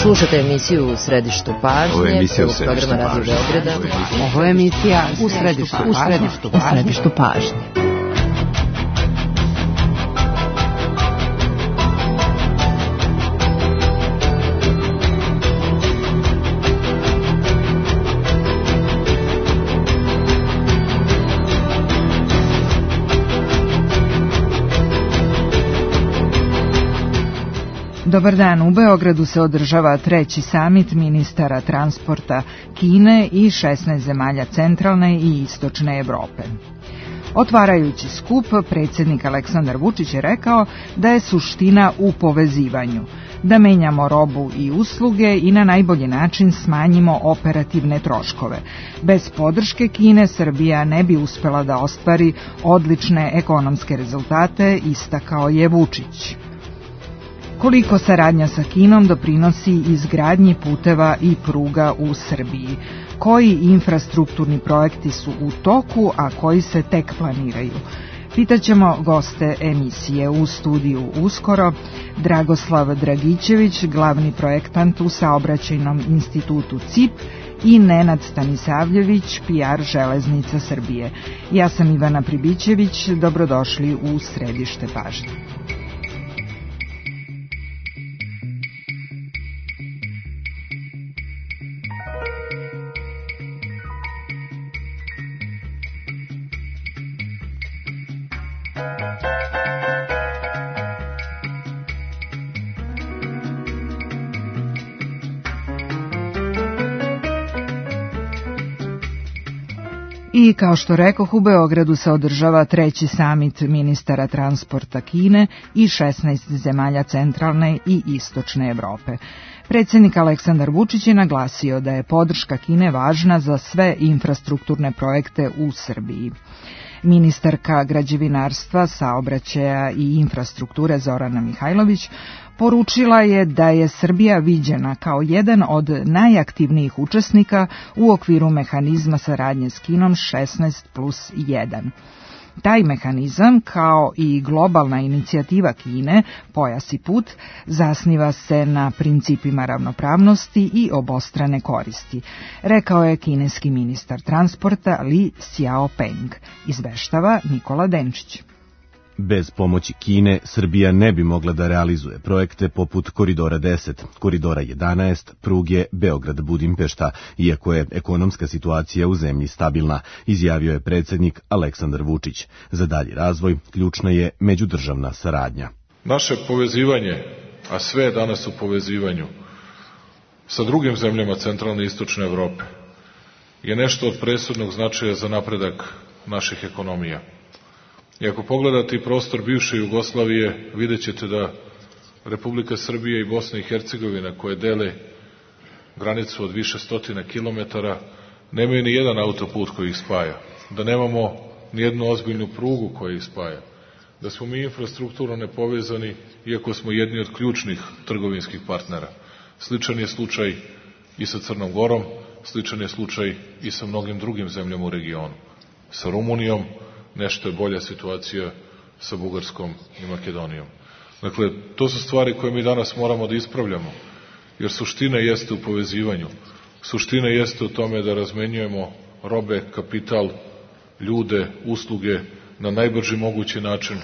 Slušate emisiju U središtu pažnje, prvog programa Radio Beograda. Ovo je emisija U središtu pažnje. Dobar dan, u Beogradu se održava treći samit ministara transporta Kine i 16 zemalja centralne i istočne Evrope. Otvarajući skup, predsjednik Aleksandar Vučić je rekao da je suština u povezivanju, da menjamo robu i usluge i na najbolji način smanjimo operativne troškove. Bez podrške Kine Srbija ne bi uspela da ostvari odlične ekonomske rezultate, istakao je Vučić. Koliko saradnja sa Kinom doprinosi izgradnji puteva i pruga u Srbiji? Koji infrastrukturni projekti su u toku, a koji se tek planiraju? Pitaćemo goste emisije. U studiju uskoro Dragoslav Dragićević, glavni projektant u saobraćajnom institutu CIP, i Nenad Stanisavljević, PR Železnica Srbije. Ja sam Ivana Pribićević, dobrodošli u središte pažnje. I kao što rekoh, u Beogradu se održava treći samit ministara transporta Kine i 16 zemalja centralne i istočne Evrope. Predsjednik Aleksandar Vučić je naglasio da je podrška Kine važna za sve infrastrukturne projekte u Srbiji. Ministarka građevinarstva, saobraćaja i infrastrukture Zorana Mihajlović poručila je da je Srbija viđena kao jedan od najaktivnijih učesnika u okviru mehanizma saradnje s Kinom 16+1. Taj mehanizam, kao i globalna inicijativa Kine, Pojas i put, zasniva se na principima ravnopravnosti i obostrane koristi, rekao je kineski ministar transporta Li Xiaopeng, izveštava Nikola Denčić. Bez pomoći Kine, Srbija ne bi mogla da realizuje projekte poput Koridora 10, Koridora 11, pruge Beograd-Budimpešta, iako je ekonomska situacija u zemlji stabilna, izjavio je predsjednik Aleksandar Vučić. Za dalji razvoj ključna je međudržavna saradnja. Naše povezivanje, a sve je danas u povezivanju, sa drugim zemljama centralne i istočne Evrope, je nešto od presudnog značaja za napredak naših ekonomija. I ako pogledate i prostor bivše Jugoslavije, vidjet ćete da Republika Srbija i Bosna i Hercegovina, koje dele granicu od više stotina kilometara, nemaju ni jedan autoput koji ih spaja, da nemamo ni jednu ozbiljnu prugu koja ih spaja, da smo mi infrastrukturno nepovezani, iako smo jedni od ključnih trgovinskih partnera. Sličan je slučaj i sa Crnom Gorom, sličan je slučaj i sa mnogim drugim zemljama u regionu. Sa Rumunijom, nešto je bolja situacija sa Bugarskom i Makedonijom. Dakle, to su stvari koje mi danas moramo da ispravljamo, jer suština jeste u povezivanju. Suština jeste u tome da razmenjujemo robe, kapital, ljude, usluge na najbrži mogući način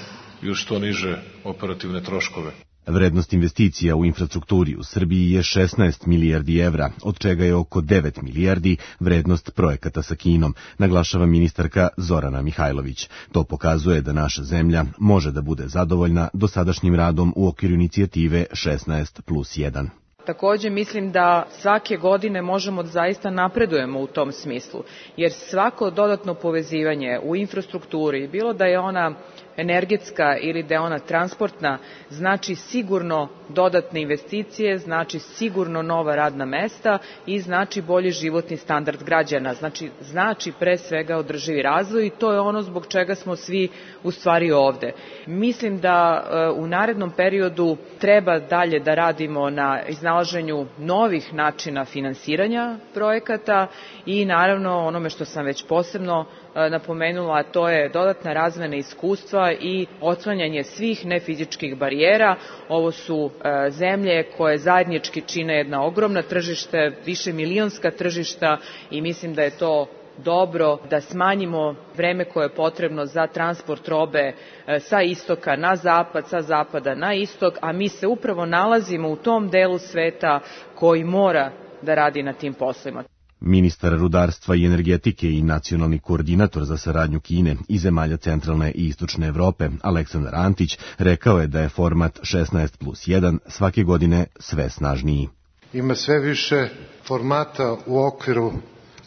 i uz što niže operativne troškove. Vrednost investicija u infrastrukturi u Srbiji je 16 milijardi evra, od čega je oko 9 milijardi vrednost projekata sa Kinom, naglašava ministarka Zorana Mihajlović. To pokazuje da naša zemlja može da bude zadovoljna dosadašnjim radom u okviru inicijative 16+1. Takođe mislim da svake godine možemo da zaista napredujemo u tom smislu, jer svako dodatno povezivanje u infrastrukturi, bilo da je ona energetska ili da je ona transportna, znači sigurno dodatne investicije, znači sigurno nova radna mesta i znači bolji životni standard građana, znači pre svega održivi razvoj i to je ono zbog čega smo svi u stvari ovde. Mislim da u narednom periodu treba dalje da radimo na iznalaženju novih načina finansiranja projekata i naravno onome što sam već posebno napomenula, a to je dodatna razmena iskustva i otklanjanje svih nefizičkih barijera. Ovo su zemlje koje zajednički čine jedna ogromna tržište, višemilionska tržišta i mislim da je to dobro da smanjimo vreme koje je potrebno za transport robe sa istoka na zapad, sa zapada na istok, a mi se upravo nalazimo u tom delu sveta koji mora da radi na tim poslovima. Ministar rudarstva i energetike i nacionalni koordinator za saradnju Kine i zemalja centralne i istočne Evrope, Aleksandar Antić, rekao je da je format 16+1 svake godine sve snažniji. Ima sve više formata u okviru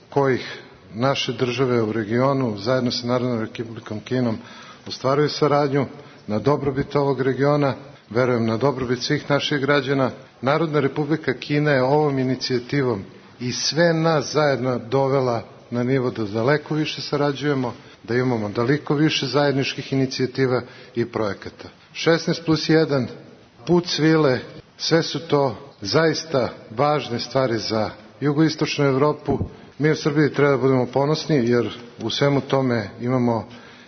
kojih naše države u regionu zajedno sa Narodnom Republikom Kinom ostvaruju saradnju na dobrobit ovog regiona, verujem na dobrobit svih naših građana. Narodna Republika Kina je ovom inicijativom i sve nas zajedno dovela na nivo da daleko više sarađujemo, da imamo daleko više zajedničkih inicijativa i projekata. 16+1, put svile, sve su to zaista važne stvari za jugoistočnu Evropu. Mi u Srbiji treba da budemo ponosni jer u svemu tome imamo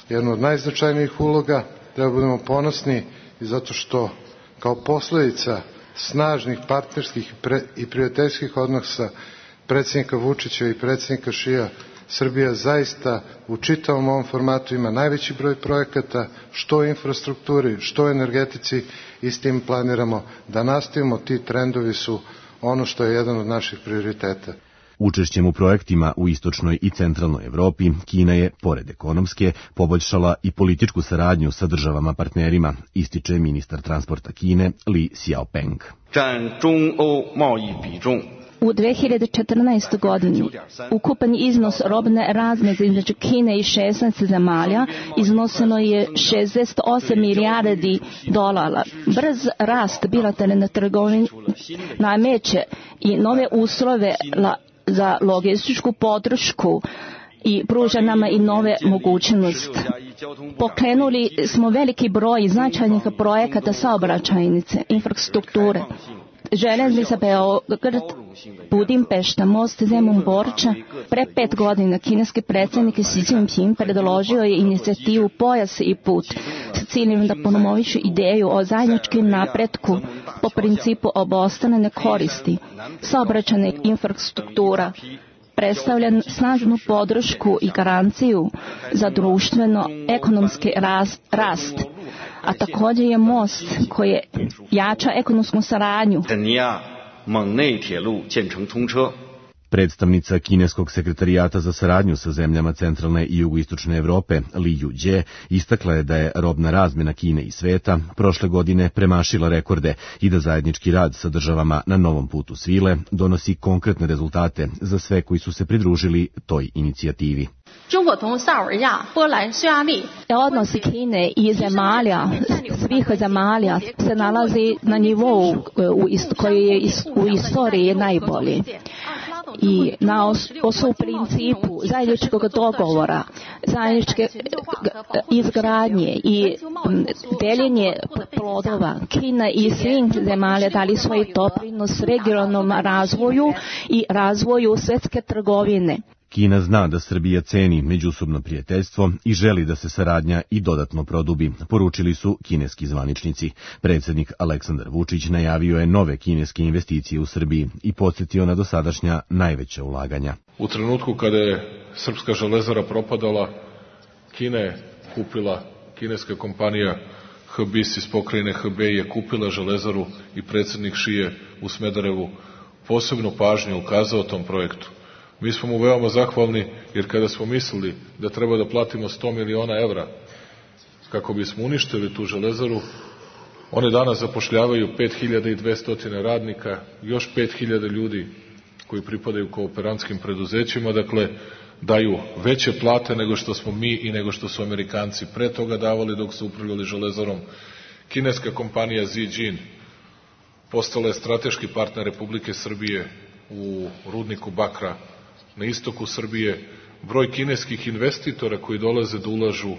jednu od najznačajnijih uloga. Treba da budemo ponosni i zato što kao posledica snažnih partnerskih i prijateljskih odnosa predsjednika Vučića i predsjednika Šija, Srbija zaista u čitavom ovom formatu ima najveći broj projekata, što u infrastrukturi, što u energetici i s tim planiramo da nastavimo. Ti trendovi su ono što je jedan od naših prioriteta. Učešćem u projektima u istočnoj i centralnoj Evropi, Kina je, pored ekonomske, poboljšala i političku saradnju sa državama partnerima, ističe ministar transporta Kine Li Xiaopeng. U 2014. godini ukupan iznos robne razmjene između Kine i 16 zemalja iznosilo je 68 milijardi dolara. Brz rast bilateralne trgovine nameće i nove uslove za logističku podršku i pruža nama i nove mogućnosti. Pokrenuli smo veliki broj značajnih projekata saobraćajnice, infrastrukture. Željeznica Beograd, Budimpešta, most Zemun-Borča. Pre 5 godina kineski predsjednik Xi Jinping predložio je inicijativu Pojas i put s ciljem da promoviše ideju o zajedničkom napretku po principu obostrane koristi. Saobraćajna infrastruktura predstavlja snažnu podršku i garanciju za društveno-ekonomski rast, a također je most koji jača ekonomsku saradnju. Predstavnica kineskog sekretarijata za saradnju sa zemljama centralne i jugoistočne Evrope, Li Yujie, istakla je da je robna razmjena Kine i sveta prošle godine premašila rekorde i da zajednički rad sa državama na novom putu svile donosi konkretne rezultate za sve koji su se pridružili toj inicijativi. Odnosi Kine i svih zemalja se nalazi na nivou koji je u istoriji najbolji. I na osnovu principu zajedničkog dogovora, zajedničke izgradnje i deljenje plodova, Kina i svih zemalja dali svoj doprinos regionalnom razvoju i razvoju svjetske trgovine. Kina zna da Srbija ceni međusobno prijateljstvo i želi da se saradnja i dodatno produbi, poručili su kineski zvaničnici. Predsjednik Aleksandar Vučić najavio je nove kineske investicije u Srbiji i podsjetio na dosadašnja najveća ulaganja. U trenutku kada je srpska železara propadala, Kina je kupila, kineska kompanija HBIS iz pokrajine Hebei je kupila železaru i predsjednik Šije u Smederevu posebnu pažnju ukazao tom projektu. Mi smo mu veoma zahvalni jer kada smo mislili da treba da platimo 100 miliona evra kako bismo uništili tu železaru, one danas zapošljavaju 5200 radnika, još 5000 ljudi koji pripadaju kooperantskim preduzećima, dakle daju veće plate nego što smo mi i nego što su Amerikanci pre toga davali dok su upravljali železarom. Kineska kompanija Zijin postala je strateški partner Republike Srbije u rudniku bakra na istoku Srbije. Broj kineskih investitora koji dolaze da ulažu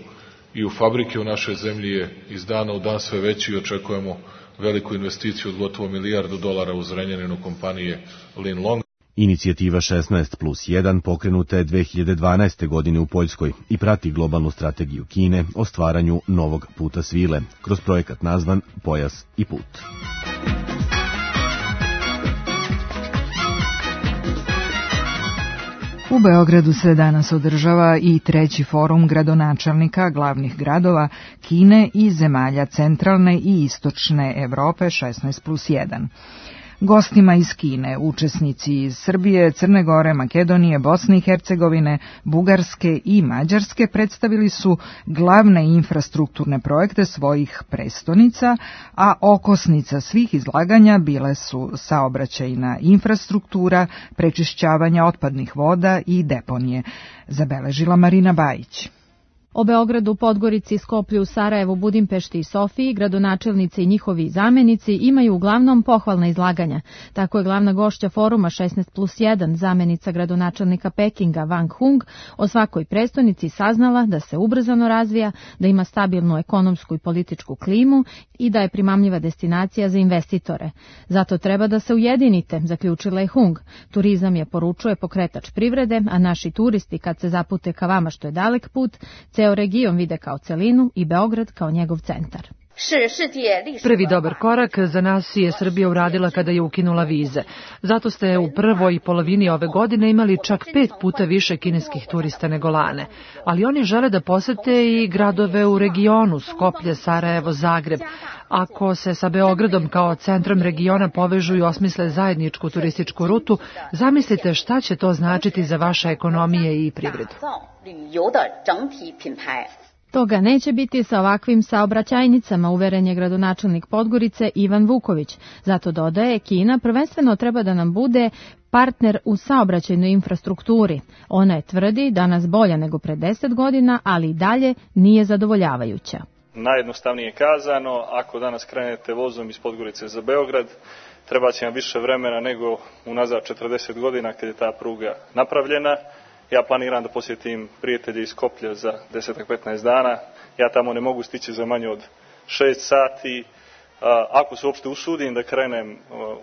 i u fabrike u našoj zemlji je iz dana u dan sve veći i očekujemo veliku investiciju od gotovo $1 milijardu u Zrenjaninu kompanije Linlong. Inicijativa 16+1 pokrenuta je 2012. godine u Poljskoj i prati globalnu strategiju Kine o stvaranju novog puta svile, kroz projekat nazvan Pojas i put. U Beogradu se danas održava i treći forum gradonačelnika glavnih gradova Kine i zemalja centralne i istočne Evrope 16+1. Gostima iz Kine, učesnici iz Srbije, Crne Gore, Makedonije, Bosne i Hercegovine, Bugarske i Mađarske predstavili su glavne infrastrukturne projekte svojih prestonica, a okosnica svih izlaganja bile su saobraćajna infrastruktura, prečišćavanja otpadnih voda i deponije, zabeležila Marina Bajić. O Beogradu, Podgorici, Skoplju, Sarajevu, Budimpešti i Sofiji gradonačelnici i njihovi zamenici imaju uglavnom pohvalna izlaganja. Tako je glavna gošća foruma 16+1, zamenica gradonačelnika Pekinga Wang Hung, o svakoj prestonici saznala da se ubrzano razvija, da ima stabilnu ekonomsku i političku klimu i da je primamljiva destinacija za investitore. Zato treba da se ujedinite, zaključila je Hung. Turizam je, poručuje, pokretač privrede, a naši turisti kad se zapute ka vama što je dalek put, ceo region vide kao celinu i Beograd kao njegov centar. Prvi dobar korak za nas je Srbija uradila kada je ukinula vize. Zato ste u prvoj polovini ove godine imali čak 5 puta više kineskih turista nego lane. Ali oni žele da posete i gradove u regionu, Skoplje, Sarajevo, Zagreb. Ako se sa Beogradom kao centrom regiona povežu i osmisle zajedničku turističku rutu, zamislite šta će to značiti za vaše ekonomije i privredu. Toga neće biti sa ovakvim saobraćajnicama, uveren je gradonačelnik Podgorice Ivan Vuković. Zato dodaje, Kina prvenstveno treba da nam bude partner u saobraćajnoj infrastrukturi. Ona je, tvrdi, danas bolja nego pre 10 godina, ali i dalje nije zadovoljavajuća. Najjednostavnije kazano, ako danas krenete vozom iz Podgorice za Beograd, treba će vam više vremena nego unazad 40 godina kad je ta pruga napravljena. Ja planiram da posjetim prijatelje iz Skoplja za 10-15 dana. Ja tamo ne mogu stići za manje od 6 sati. Ako se uopšte usudim da krenem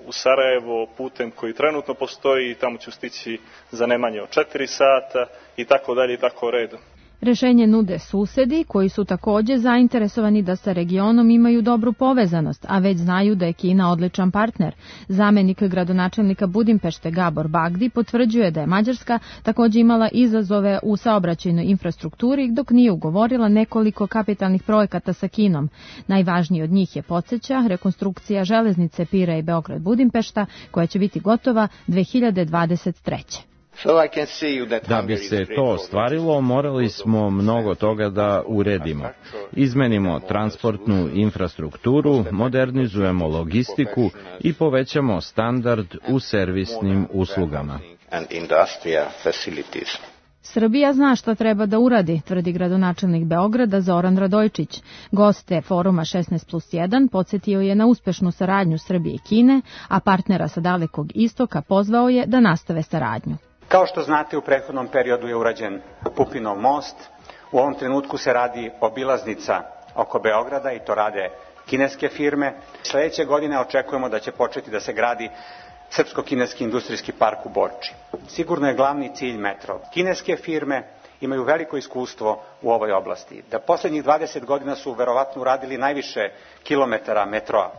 u Sarajevo putem koji trenutno postoji, tamo ću stići za ne manje od 4 sata i tako dalje i tako redom. Rešenje nude susedi koji su takođe zainteresovani da sa regionom imaju dobru povezanost, a već znaju da je Kina odličan partner. Zamenik gradonačelnika Budimpešte Gabor Bagdi potvrđuje da je Mađarska takođe imala izazove u saobraćajnoj infrastrukturi dok nije ugovorila nekoliko kapitalnih projekata sa Kinom. Najvažniji od njih je, podsjeća, rekonstrukcija železnice Pira i Beograd-Budimpešta koja će biti gotova 2023. Da bi se to ostvarilo, morali smo mnogo toga da uredimo. Izmenimo transportnu infrastrukturu, modernizujemo logistiku i povećamo standard u servisnim uslugama. Srbija zna šta treba da uradi, tvrdi gradonačelnik Beograda Zoran Radojčić. Goste foruma 16+1 podsjetio je na uspešnu saradnju Srbije i Kine, a partnera sa Dalekog istoka pozvao je da nastave saradnju. Kao što znate, u prethodnom periodu je urađen Pupinov most. U ovom trenutku se radi obilaznica oko Beograda i to rade kineske firme. Sledeće godine očekujemo da će početi da se gradi Srpsko-kineski industrijski park u Borči. Sigurno je glavni cilj metro. Kineske firme imaju veliko iskustvo u ovoj oblasti. Da poslednjih 20 godina su verovatno uradili najviše kilometara metroa.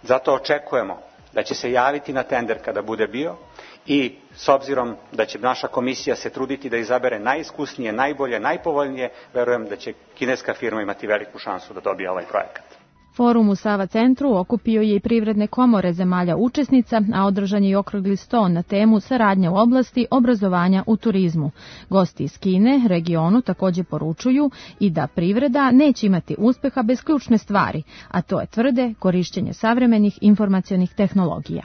Zato očekujemo da će se javiti na tender kada bude bio i s obzirom da će naša komisija se truditi da izabere najiskusnije, najbolje, najpovoljnije, verujem da će kineska firma imati veliku šansu da dobije ovaj projekat. Forum u Sava centru okupio je i privredne komore zemalja učesnica, a održan je i okrugli sto na temu saradnja u oblasti obrazovanja u turizmu. Gosti iz Kine regionu takođe poručuju i da privreda neće imati uspeha bez ključne stvari, a to je, tvrde, korišćenje savremenih informacionih tehnologija.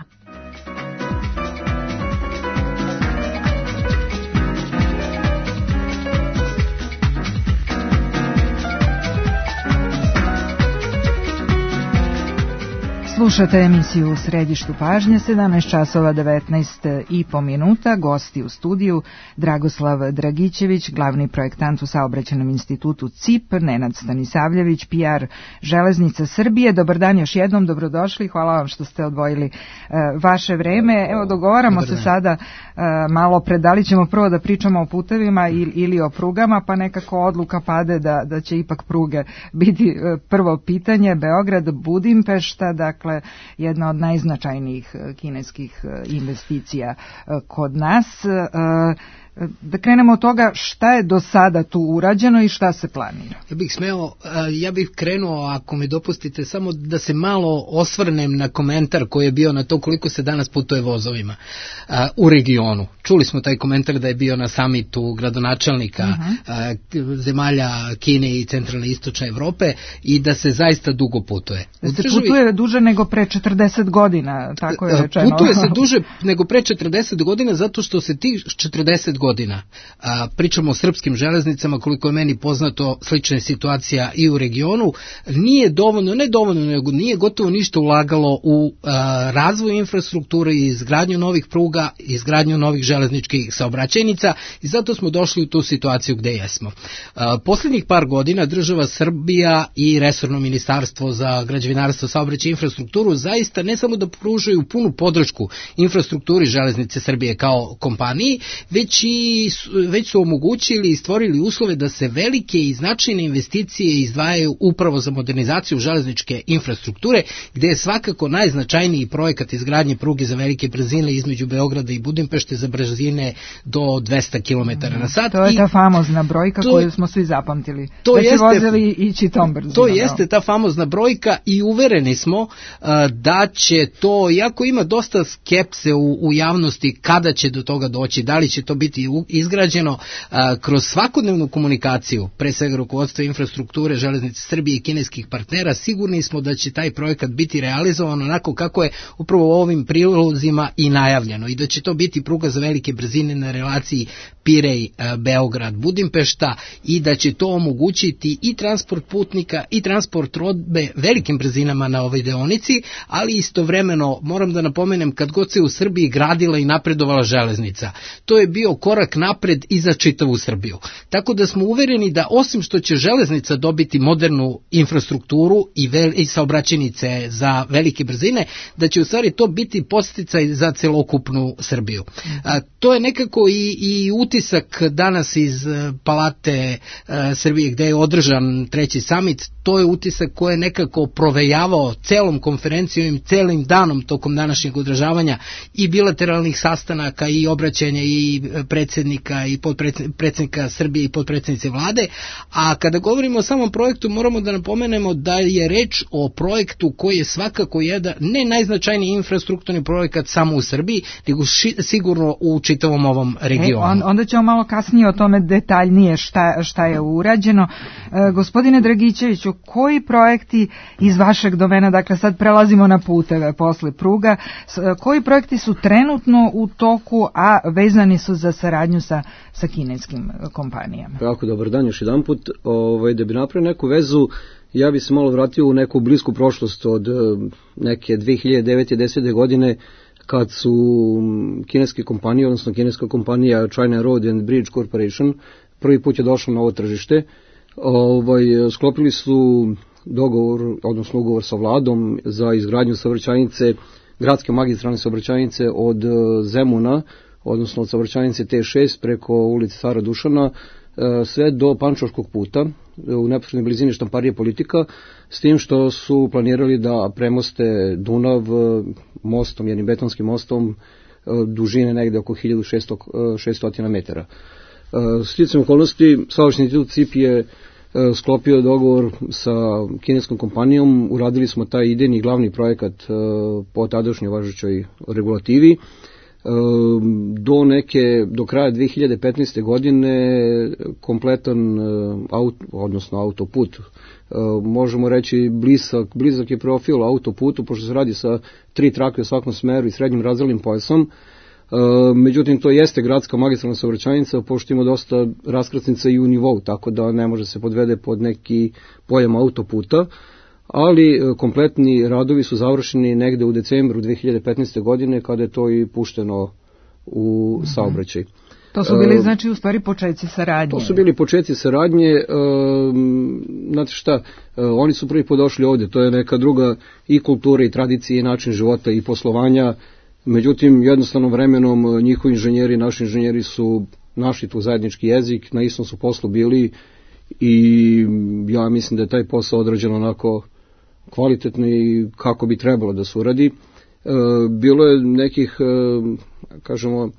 Slušate emisiju U središtu pažnje, 17 časova 19,5 minuta. Gosti u studiju Dragoslav Dragićević, glavni projektant u Saobraćajnom institutu CIP, Nenad Stanisavljević, PR Železnica Srbije. Dobar dan još jednom, dobrodošli, hvala vam što ste odvojili vaše vreme. Evo, dogovaramo se sada malo pred, da li ćemo prvo da pričamo o putevima ili o prugama, pa nekako odluka pade da će ipak pruge biti prvo pitanje. Beograd, Budimpešta, dakle jedna od najznačajnijih kineskih investicija kod nas. Da krenemo od toga šta je do sada tu urađeno i šta se planira. Ja bih krenuo, ako mi dopustite, samo da se malo osvrnem na komentar koji je bio na to koliko se danas putuje vozovima u regionu. Čuli smo taj komentar da je bio na samitu gradonačelnika zemalja Kine i centralne i istočne Evrope i da se zaista dugo putuje. Putuje duže nego pre 40 godina, tako je rečeno. Putuje se duže nego pre 40 godina zato što se tih 40 godina, pričamo o srpskim železnicama, koliko je meni poznato, slična je situacija i u regionu, nije dovoljno, ne dovoljno, nego nije gotovo ništa ulagalo u razvoj infrastrukture i izgradnju novih pruga, izgradnju novih železničkih saobraćajnica i zato smo došli u tu situaciju gde jesmo. Posljednjih par godina država Srbija i resorno ministarstvo za građevinarstvo, saobraćaj i infrastrukturu zaista ne samo da pružaju punu podršku infrastrukturi Železnice Srbije kao kompaniji, već su omogućili i stvorili uslove da se velike i značajne investicije izdvajaju upravo za modernizaciju železničke infrastrukture, gde je svakako najznačajniji projekat izgradnje pruge za velike brzine između Beograda i Budimpešte za brzine do 200 km na sat. To je ta famozna brojka koju smo svi zapamtili. Da će vozovi ići tom brzinom. To jeste ta famozna brojka i uvereni smo da će to, iako ima dosta skepse u javnosti kada će do toga doći, da li će to biti izgrađeno kroz svakodnevnu komunikaciju, pre svega rukovodstva infrastrukture Železnice Srbije i kineskih partnera, sigurni smo da će taj projekat biti realizovan onako kako je upravo u ovim prilozima i najavljeno i da će to biti pruga za velike brzine na relaciji Pirej, Beograd, Budimpešta i da će to omogućiti i transport putnika i transport robe velikim brzinama na ovoj deonici, ali istovremeno moram da napomenem kad god se u Srbiji gradila i napredovala železnica, to je bio korak napred i za čitavu Srbiju. Tako da smo uvereni da osim što će železnica dobiti modernu infrastrukturu i saobraćajnice za velike brzine, da će u stvari to biti podsticaj za celokupnu Srbiju. To je nekako i utisak danas iz Palate Srbije gde je održan treći samit, to je utisak koji je nekako provejavao celom konferencijom i celim danom tokom današnjeg održavanja i bilateralnih sastanaka i obraćanja i predsjednika i predsjednika Srbije i potpredsjednice vlade, a kada govorimo o samom projektu moramo da napomenemo da je reč o projektu koji je svakako jedan ne najznačajniji infrastrukturni projekat samo u Srbiji, nego sigurno u čitavom ovom regionu. Onda ćemo malo kasnije o tome detaljnije šta je urađeno. Gospodine Dragićeviću, koji projekti iz vašeg domena, dakle sad prelazimo na puteve posle pruga, koji projekti su trenutno u toku, a vezani su za saradnju sa kineskim kompanijama? Jako dobar dan još jedan put. Da bi napravio neku vezu, ja bi se malo vratio u neku blisku prošlost od neke 2009. 10. godine kad su kineske kompanije, odnosno kineska kompanija China Road and Bridge Corporation prvi put je došla na ovo tržište. Sklopili su dogovor, odnosno ugovor sa vladom za izgradnju saobraćajnice, gradske magistralne saobraćajnice od Zemuna, odnosno od saobraćajnice T6 preko ulice Cara Dušana sve do Pančevačkog puta u neposrednoj blizini Štamparije Politika, s tim što su planirali da premoste Dunav mostom, jednim betonskim mostom dužine negde oko 1600 metara. Sticajem okolnosti, Saobraćajni institut CIP je sklopio dogovor sa kineskom kompanijom, uradili smo taj idejni glavni projekat po tadašnjoj važećoj regulativi. Do kraja 2015. godine kompletan autoput, možemo reći blizak je profil autoputu, pošto se radi sa 3 trake u svakom smeru i srednjim razdelnim pojasom. Međutim, to jeste gradska magistralna saobraćajnica, pošto ima dosta raskrsnica i u nivou, tako da ne može se podvede pod neki pojam autoputa. ali kompletni radovi su završeni negde u decembru 2015. godine kada je to i pušteno u saobraćaj. To su bili, znači, u stvari početci saradnje. To su bili početci saradnje. Znate šta, oni su prvi put došli ovde, to je neka druga i kultura i tradicija i način života i poslovanja. Međutim, jednostavno vremenom njihovi inženjeri, naši inženjeri su našli tu zajednički jezik, na istom su poslu bili i ja mislim da je taj posao odrađen onako kvalitetno i kako bi trebalo da se uradi. Bilo je nekih, kažemo,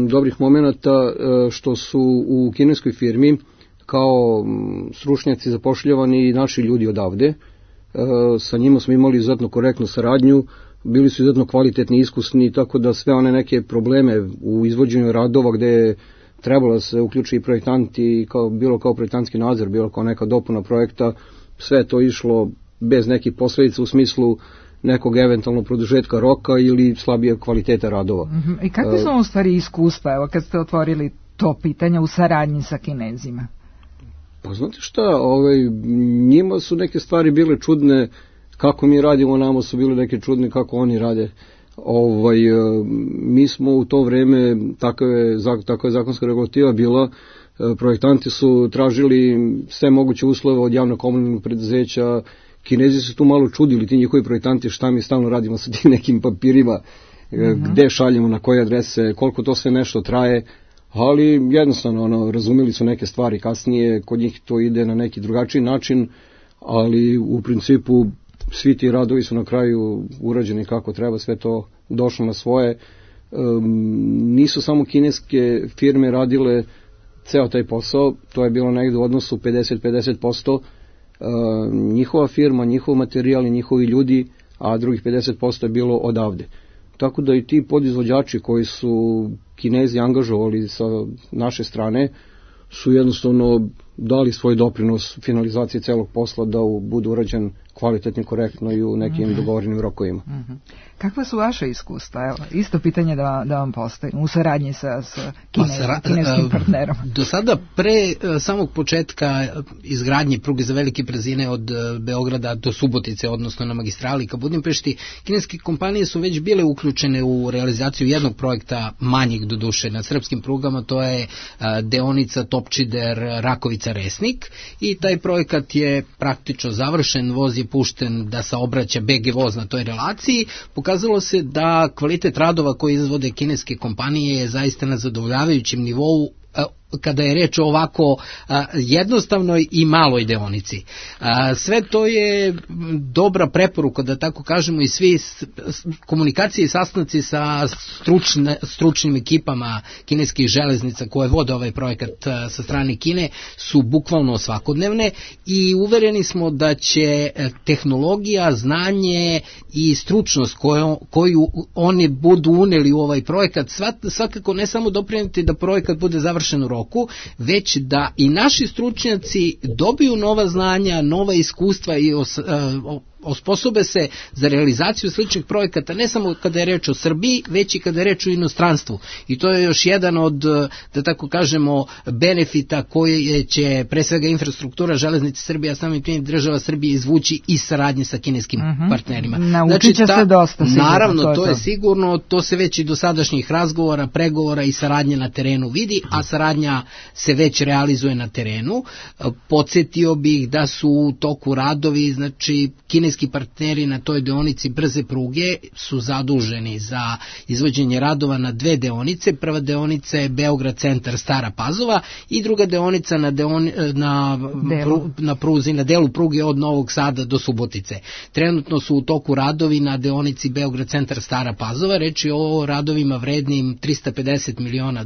dobrih momenata što su u kineskoj firmi kao stručnjaci zapošljavani i naši ljudi odavde. Sa njima smo imali izuzetno korektnu saradnju, bili su izuzetno kvalitetni, iskusni, tako da sve one neke probleme u izvođenju radova gde je trebalo da se uključi i projektanti, bilo kao projektantski nadzor, bilo kao neka dopuna projekta, sve je to išlo bez nekih posledica u smislu nekog eventualno produžetka roka ili slabije kvaliteta radova. I kakve su u stvari iskustva, evo kad ste otvorili to pitanje u saradnji sa Kinezima? Pa znate šta, njima su neke stvari bile čudne, kako mi radimo, nama su bile neke čudne kako oni rade. Mi smo u to vreme, takva je zakonska regulativa bila, projektanti su tražili sve moguće uslove od javno-komunalnog preduzeća. Kinezi su tu malo čudili, ti njihovi projektanti, šta mi stalno radimo sa tim nekim papirima, gde šaljemo, na koje adrese, koliko to sve nešto traje, ali jednostavno razumeli su neke stvari kasnije, kod njih to ide na neki drugačiji način, ali u principu svi ti radovi su na kraju urađeni kako treba, sve to došlo na svoje. Nisu samo kineske firme radile ceo taj posao, to je bilo negde u odnosu 50-50%, njihova firma, njihov materijal i njihovi ljudi, a drugih 50% je bilo odavde. Tako da i ti podizvođači koji su Kinezi angažovali sa naše strane su jednostavno dali svoj doprinos finalizaciji celog posla da budu urađen kvalitetno, korektno i u nekim dogovorenim rokovima. Kakva su vaše iskustva? Evo, isto pitanje da vam postavim u saradnji sa kineskim partnerom. Do sada, pre samog početka izgradnje pruge za velike brzine od Beograda do Subotice, odnosno na magistrali ka Budimpešti, kineske kompanije su već bile uključene u realizaciju jednog projekta manjeg do duše na srpskim prugama, to je deonica Topčider Rakovica-Resnik i taj projekat je praktično završen, voz je pušten da saobraća BG voz na toj relaciji. Pokazalo se da kvalitet radova koje izvode kineske kompanije je zaista na zadovoljavajućem nivou kada je reč o ovako jednostavnoj i maloj deonici. Sve to je dobra preporuka, da tako kažemo, i svi komunikacije i sastanci sa stručnim ekipama kineskih železnica koje vode ovaj projekat sa strane Kine su bukvalno svakodnevne i uvereni smo da će tehnologija, znanje i stručnost koju oni budu uneli u ovaj projekat svakako ne samo doprineti da projekat bude završen u roku, već da i naši stručnjaci dobiju nova znanja, nova iskustva i osposobe se za realizaciju sličnih projekata, ne samo kada je reč o Srbiji, već i kada je reč o inostranstvu. I to je još jedan od, da tako kažemo, benefita koje će pre svega infrastruktura železnice Srbije, a samim tim država Srbije izvući i saradnje sa kineskim partnerima. Naučit će se dosta sigurno. Naravno, to je sigurno, to se već i do sadašnjih razgovora, pregovora i saradnje na terenu vidi, a saradnja se već realizuje na terenu. Podsjetio bih da su u toku radovi, znači kineski partneri na toj deonici brze pruge su zaduženi za izvođenje radova na dve deonice. Prva deonica je Beograd centar Stara Pazova i druga deonica na pruzi, na delu pruge od Novog Sada do Subotice. Trenutno su u toku radovi na deonici Beograd centar Stara Pazova, reč je o radovima vrednim $350 miliona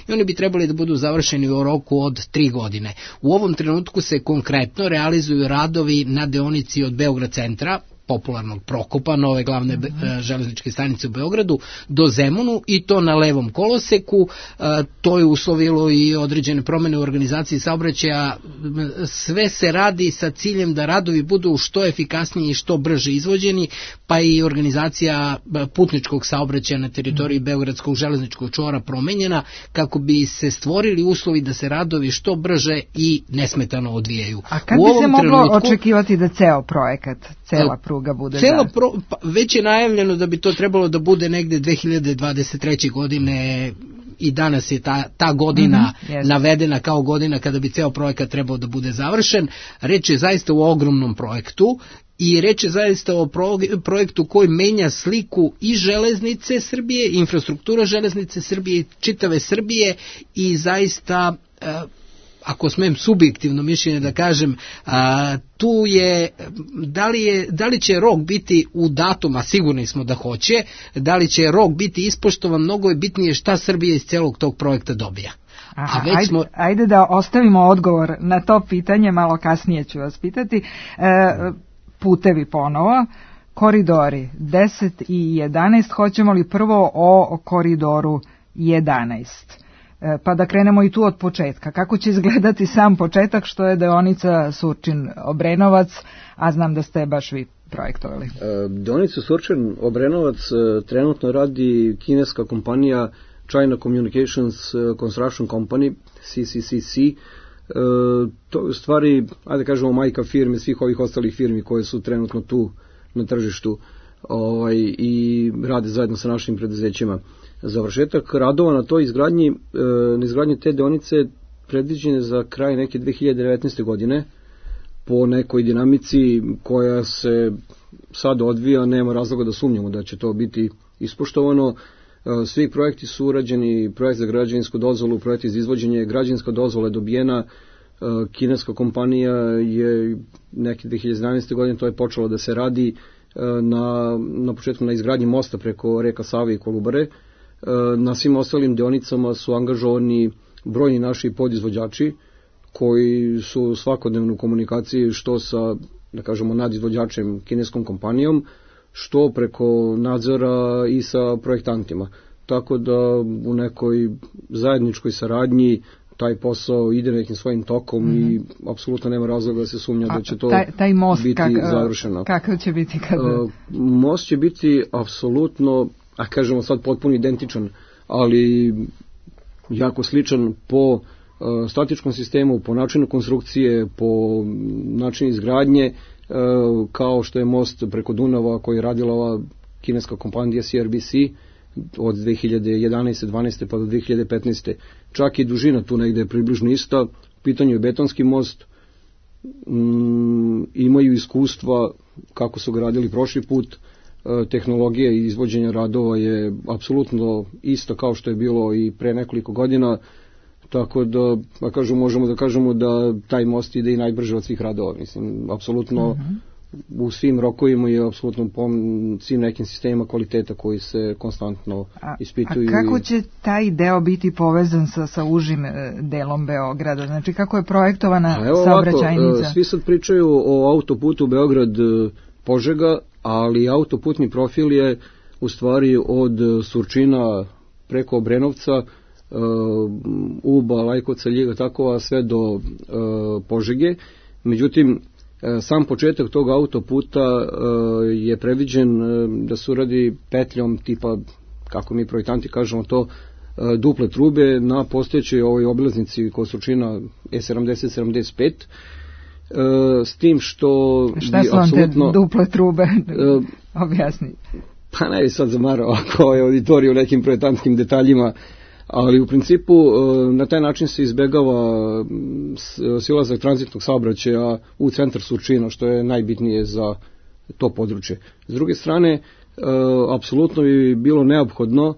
i oni bi trebali da budu završeni u roku od 3 godine. U ovom trenutku se konkretno realizuju radovi na deonici od Beograd centra popularnog Prokopa, nove glavne železničke stanice u Beogradu, do Zemunu i to na levom koloseku. To je uslovilo i određene promene u organizaciji saobraćaja. Sve se radi sa ciljem da radovi budu što efikasniji i što brže izvođeni, pa i organizacija putničkog saobraćaja na teritoriji Beogradskog železničkog čvora promenjena kako bi se stvorili uslovi da se radovi što brže i nesmetano odvijaju. A kad bi se moglo očekivati da ceo projekat, cela pruga bude već je najavljeno da bi to trebalo da bude negde 2023. godine i danas je ta godina navedena kao godina kada bi ceo projekat trebao da bude završen. Reč je zaista o ogromnom projektu i reč je zaista o projektu koji menja sliku i železnice Srbije, infrastruktura železnice Srbije i čitave Srbije i zaista, ako smem subjektivno mišljenje da kažem, tu je, da li će rok biti u datum, a sigurni smo da hoće, da li će rok biti ispoštovan, mnogo je bitnije šta Srbija iz celog tog projekta dobija. Ajde da ostavimo odgovor na to pitanje, malo kasnije ću vas pitati. Putevi ponovo, koridori 10 i 11, hoćemo li prvo o koridoru 11? Pa da krenemo i tu od početka. Kako će izgledati sam početak, što je deonica Surčin-Obrenovac, a znam da ste baš vi projektovali? Deonicu Surčin-Obrenovac trenutno radi kineska kompanija China Communications Construction Company, CCCC. To je u stvari, ajde kažemo, majka firme svih ovih ostalih firmi koje su trenutno tu na tržištu i rade zajedno sa našim preduzećima. Završetak radova na toj izgradnji te deonice predviđene za kraj neke 2019. godine po nekoj dinamici koja se sad odvija, nema razloga da sumnjamo da će to biti ispoštovano. Svi projekti su urađeni, projekt za građevinsku dozvolu, projekt za izvođenje, građevinska dozvola je dobijena, kineska kompanija je neke 2011. godine to je počelo da se radi na početku na izgradnji mosta preko reka Save i Kolubare. Na svim ostalim deonicama su angažovani brojni naši podizvođači koji su svakodnevno u komunikaciji što sa, da kažemo, nadizvođačem kineskom kompanijom, što preko nadzora i sa projektantima. Tako da u nekoj zajedničkoj saradnji taj posao ide nekim svojim tokom i apsolutno nema razloga da se sumnja da će to taj most biti završeno. Kakav će biti kada? Most će biti apsolutno, a kažemo sad potpuno identičan, ali jako sličan po statičkom sistemu, po načinu konstrukcije, po načinu izgradnje, kao što je most preko Dunava koji je radila ova kineska kompanija CRBC od 2011. 12. pa do 2015. Čak i dužina tu negde je približno ista. U pitanju je betonski most, imaju iskustva kako su ga radili prošli put, tehnologija i izvođenja radova je apsolutno isto kao što je bilo i pre nekoliko godina, tako da možemo da kažemo da taj most ide i najbrže od svih radova. Mislim, apsolutno u svim rokovima je apsolutno po svim nekim sistemima kvaliteta koji se konstantno ispituju. A kako će taj deo biti povezan sa užim delom Beograda? Znači kako je projektovana saobraćajnica? Svi sad pričaju o autoputu Beograd-Požega, ali autoputni profil je u stvari od Surčina preko Obrenovca, Uba, Lajkovca, Ljiga, tako, a sve do Požege. Međutim, sam početak tog autoputa je predviđen da se uradi petljom tipa, kako mi projektanti kažemo to, duple trube na postojećoj ovoj obilaznici kod Surčina E70-75, s tim što šta su vam te duple trube? Objasni. Pa ne bi sad zamarao ako je auditorij u nekim projektantskim detaljima, ali u principu na taj način se izbegava silazak tranzitnog saobraćaja u centar Surčina, što je najbitnije za to područje. S druge strane, apsolutno bi bilo neophodno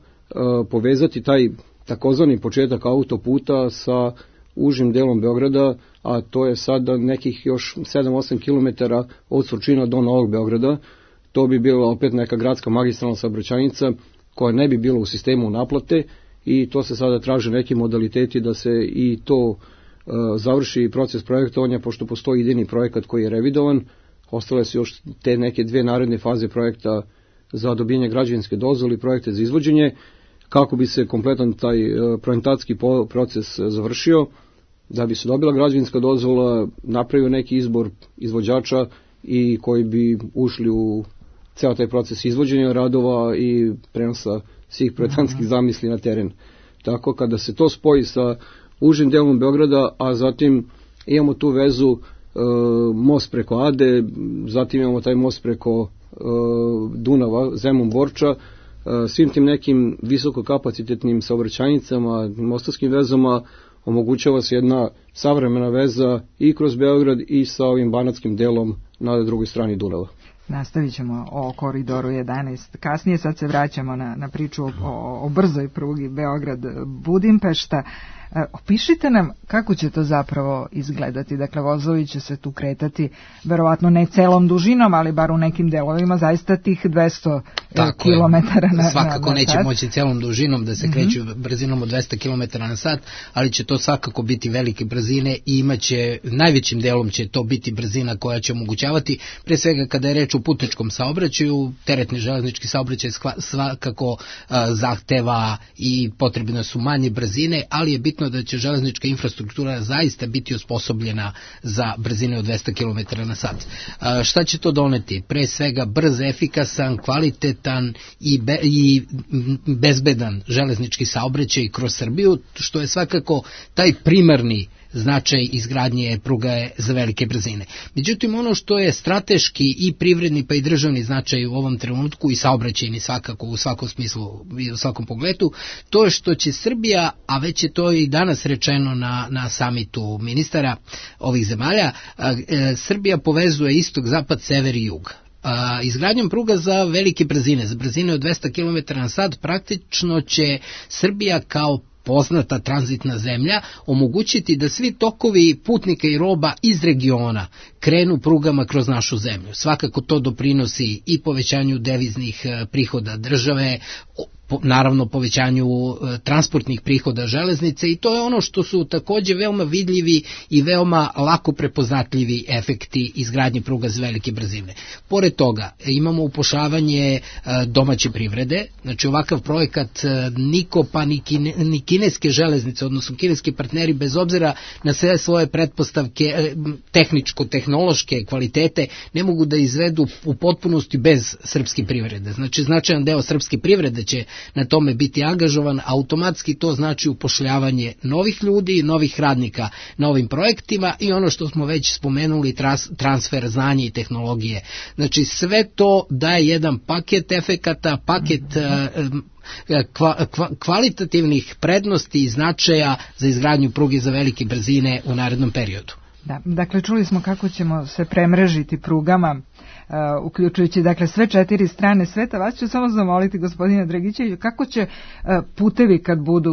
povezati taj takozvani početak autoputa sa užim delom Beograda, a to je sada nekih još 7-8 km od Surčina do Novog Beograda. To bi bila opet neka gradska magistralna saobraćajnica koja ne bi bila u sistemu naplate, i to se sada traže neki modaliteti da se i to završi proces projektovanja, pošto postoji idejni projekat koji je revidovan. ostale su još te neke dve naredne faze projekta za dobijanje građevinske dozvole i projekte za izvođenje, kako bi se kompletan taj projektantski proces završio, da bi se dobila građevinska dozvola, napravio neki izbor izvođača i koji bi ušli u ceo taj proces izvođenja radova i prenosa svih projektantskih zamisli na teren. Tako kada se to spoji sa užim delom Beograda, a zatim imamo tu vezu most preko Ade, zatim imamo taj most preko Dunava, Zemun-Borča, svim tim nekim visokokapacitetnim saobraćajnicama, mostarskim vezama omogućava se jedna savremena veza i kroz Beograd i sa ovim banatskim delom na drugoj strani Dunava. Nastavit ćemo o koridoru 11. Kasnije sad se vraćamo na priču o brzoj prugi Beograd-Budimpešta. Opišite nam kako će to zapravo izgledati. Dakle, vozovi će se tu kretati verovatno ne celom dužinom, ali bar u nekim delovima zaista tih 200 kilometara na sat. Svakako neće moći celom dužinom da se kreću brzinom od 200 kilometara na sat, ali će to svakako biti velike brzine i imaće, najvećim delom će to biti brzina koja će omogućavati, pre svega kada je reč o putničkom saobraćaju, teretni železnički saobraćaj svakako zahteva i potrebne su manje brzine, ali je bitno da će železnička infrastruktura zaista biti osposobljena za brzine od 200 km na sat. Šta će to doneti? Pre svega brz, efikasan, kvalitetan i bezbedan železnički saobraćaj kroz Srbiju, što je svakako taj primarni značaj izgradnje pruga za velike brzine. Međutim, ono što je strateški i privredni pa i državni značaj u ovom trenutku i saobraćajni svakako u svakom smislu i u svakom pogledu, to je što će Srbija, a već je to i danas rečeno na samitu ministara ovih zemalja, Srbija povezuje istok, zapad, sever i jug. Izgradnjom pruga za velike brzine, za brzine od 200 km na sat, praktično će Srbija kao poznata tranzitna zemlja omogućiti da svi tokovi putnika i roba iz regiona krenu prugama kroz našu zemlju. Svakako to doprinosi i povećanju deviznih prihoda države, naravno povećanju transportnih prihoda železnice, i to je ono što su takođe veoma vidljivi i veoma lako prepoznatljivi efekti izgradnje pruga za velike brzine. Pored toga imamo upošljavanje domaće privrede, znači ovakav projekat niko pa ni kineske železnice, odnosno kineski partneri, bez obzira na sve svoje pretpostavke tehničko-tehnološke kvalitete, ne mogu da izvedu u potpunosti bez srpske privrede. Znači značajan deo srpske privrede će na tome biti angažovan, automatski to znači upošljavanje novih ljudi, novih radnika na ovim projektima i ono što smo već spomenuli, transfer znanja i tehnologije. Znači sve to daje jedan paket efekata, paket kvalitativnih prednosti i značaja za izgradnju pruge za velike brzine u narednom periodu. Da, dakle, čuli smo kako ćemo se premrežiti prugama, uključujući dakle sve 4 strane sveta. Vas ću samo zamoliti, gospodine Dragićeviću, kako će putevi kad budu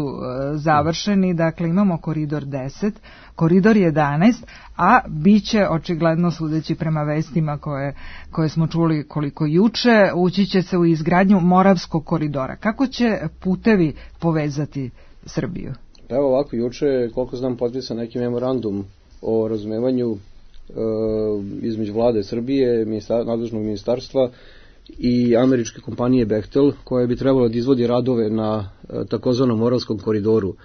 završeni. Dakle, imamo koridor 10, koridor 11, a bit će, očigledno sudeći prema vestima koje smo čuli koliko juče, ući će se u izgradnju Moravskog koridora. Kako će putevi povezati Srbiju? Evo ovako, juče, koliko znam, potpisan neki memorandum o razumevanju između vlade Srbije, nadležnog ministarstva i američke kompanije Bechtel, koja bi trebala da izvodi radove na takozvanom Moravskom koridoru.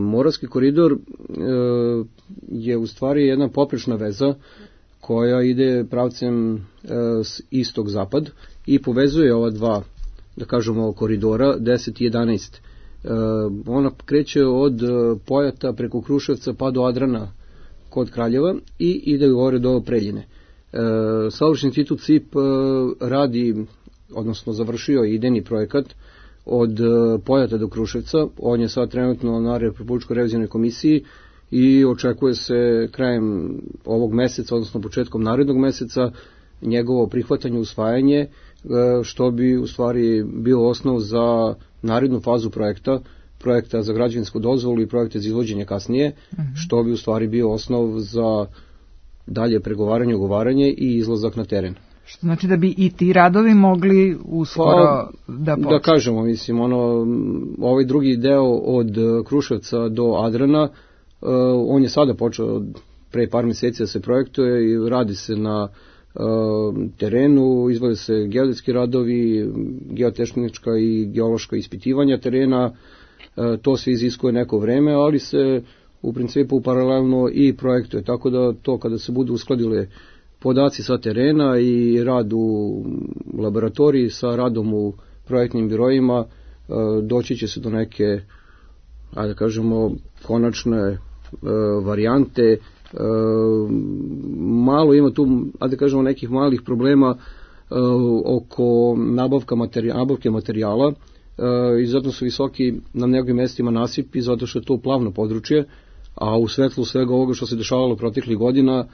Moravski koridor je u stvari jedna poprečna veza koja ide pravcem istok-zapad i povezuje ova dva, da kažemo, koridora 10 i 11. Ona kreće od Pojata preko Kruševca pa do Adrana kod Kraljeva i ide gore do Preljine. Saobraćajni institut CIP radi, odnosno završio idejni projekat od Pojata do Kruševca. On je sad trenutno na Republičkoj revizionoj komisiji i očekuje se krajem ovog meseca, odnosno početkom narednog meseca, njegovo prihvatanje, usvajanje, što bi u stvari bio osnov za narednu fazu projekta za građevinsku dozvolu i projekte za izvođenje kasnije, što bi u stvari bio osnov za dalje pregovaranje, ugovaranje i izlazak na teren. Što znači da bi i ti radovi mogli uskoro da počne? Da kažemo, mislim, ovaj drugi deo od Kruševca do Adrana, on je sada počeo pre par meseci da se projektuje i radi se na terenu, izvode se geodetski radovi, geotehnička i geološka ispitivanja terena, to se iziskuje neko vreme, ali se u principu paralelno i projektuje, tako da to kada se budu uskladile podaci sa terena i rad u laboratoriji sa radom u projektnim birojima, doći će se do neke, ajde kažemo, konačne varijante. Malo ima tu, ajde kažemo, nekih malih problema oko nabavke materijala i zato su visoki na nekim mestima nasipi, zato što je to plavno područje, a u svetlu svega ovoga što se dešavalo proteklih godina,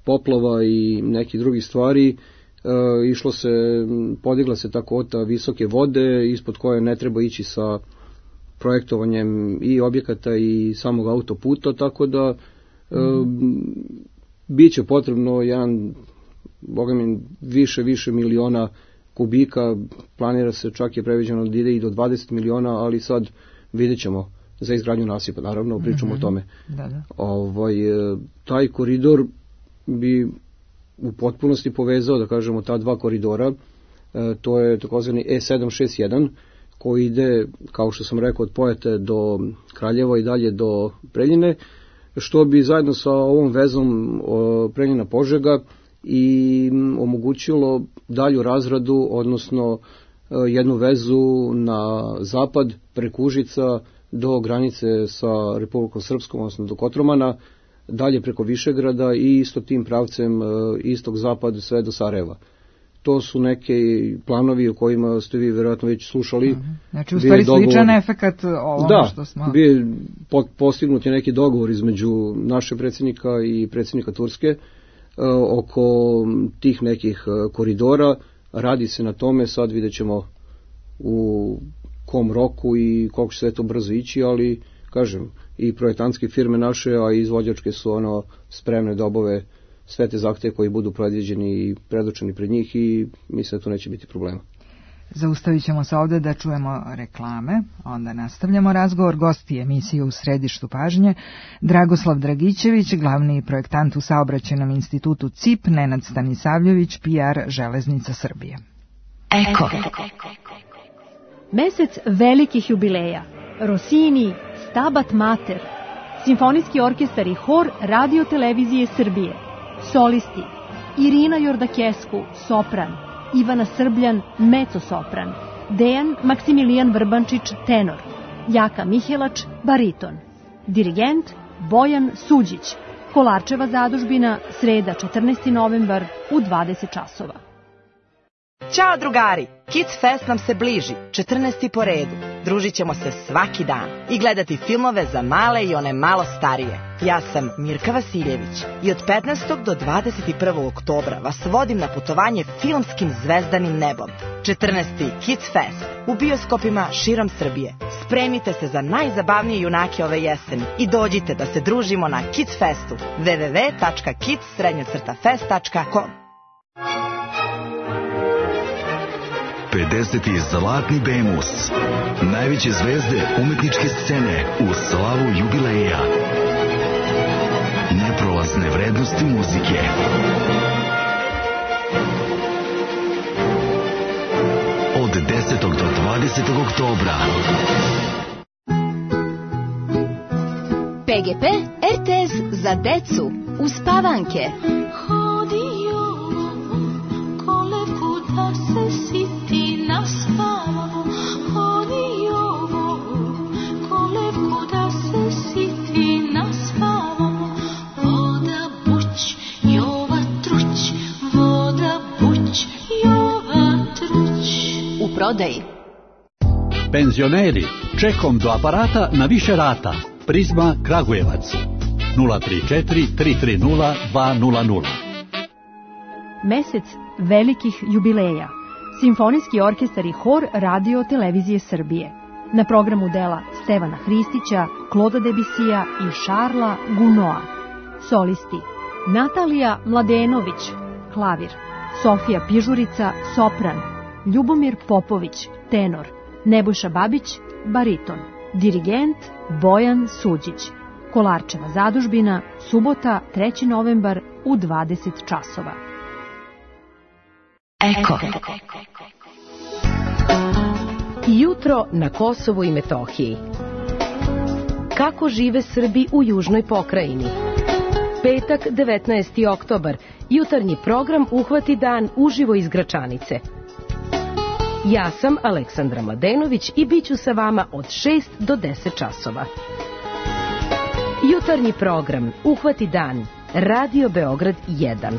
poplava i nekih drugih stvari, podigla se ta kvota visoke vode ispod koje ne treba ići sa projektovanjem i objekata i samog autoputa, tako da bit će potrebno više miliona kubika, planira se, čak je previđeno da ide i do 20 miliona, ali sad vidjet ćemo za izgradnju nasipa, naravno, pričamo o tome. Taj koridor bi u potpunosti povezao, da kažemo, ta dva koridora, to je takozvani E761, koji ide, kao što sam rekao, od Pojate do Kraljeva i dalje do Preljine, što bi zajedno sa ovom vezom Preljina-Požega i omogućilo dalju razradu, odnosno jednu vezu na zapad preko Užica do granice sa Republikom Srpskom, odnosno do Kotromana, dalje preko Višegrada i isto tim pravcem istok-zapad sve do Sarajeva. To su neke planovi o kojima ste vi vjerojatno već slušali. Znači, u stvari sličan efekat ovome što smo... Da, postignut je neki dogovor između našeg predsjednika i predsjednika Turske oko tih nekih koridora. Radi se na tome, sad vidjet ćemo u kom roku i koliko će sve to brzo ići, ali, kažem, i projektantske firme naše, a i izvođačke su spremne da obave sve te zahteve koji budu predviđeni i predočeni pred njih i mislim da to neće biti problema. Zaustavit ćemo se ovde da čujemo reklame, onda nastavljamo razgovor. Gosti emisije U središtu pažnje: Dragoslav Dragićević, glavni projektant u Saobraćajnom institutu CIP, Nenad Stanisavljević, PR Železnica Srbije. Eko. Mesec velikih jubileja. Rossini, Stabat Mater, Simfonijski orkestar i hor Radio Televizije Srbije. Solisti: Irina Jordakesku, sopran, Ivana Srbljan, mezzo-sopran, Dejan Maksimilijan Vrbančić, tenor, Jaka Mihelač, bariton. Dirigent Bojan Suđić. Kolarčeva zadužbina, sreda 14. novembar u 20 časova. Ćao drugari, Kids Fest nam se bliži, 14. po redu. Družit ćemo se svaki dan i gledati filmove za male i one malo starije. Ja sam Mirka Vasiljević i od 15. do 21. oktobra vas vodim na putovanje filmskim zvezdanim nebom. 14. Kids Fest u bioskopima širom Srbije. Spremite se za najzabavnije junake ove jeseni i dođite da se družimo na Kids Festu. www.kids-fest.com 50. Zlatni Bemus. Najveće zvezde umetničke scene u slavu jubileja. Neprolazne vrednosti muzike. Od 10. do 20. oktobra. PGP RTS za decu uspavanke. Prodaji. Penzioneri, čekom do aparata na više rata. Prizma Kragujevac 034 330 200. Mesec velikih jubileja. Simfonijski orkestar i hor Radio Televizije Srbije. Na programu dela Stevana Hristića, Kloda Debisija i Šarla Gunoa. Solisti: Natalija Mladenović, klavir, Sofija Pižurica, sopran, Ljubomir Popović, tenor, Nebojša Babić, bariton. Dirigent Bojan Suđić. Kolarčeva zadužbina, subota 3. novembar u 20 časova. Eko. Jutro na Kosovu i Metohiji. Kako žive Srbi u južnoj pokrajini? Petak, 19. oktobar. Jutarnji program Uhvati dan uživo iz Gračanice. Ja sam Aleksandra Mladenović i bit ću sa vama od 6 do 10 časova. Jutarnji program Uhvati dan. Radio Beograd 1.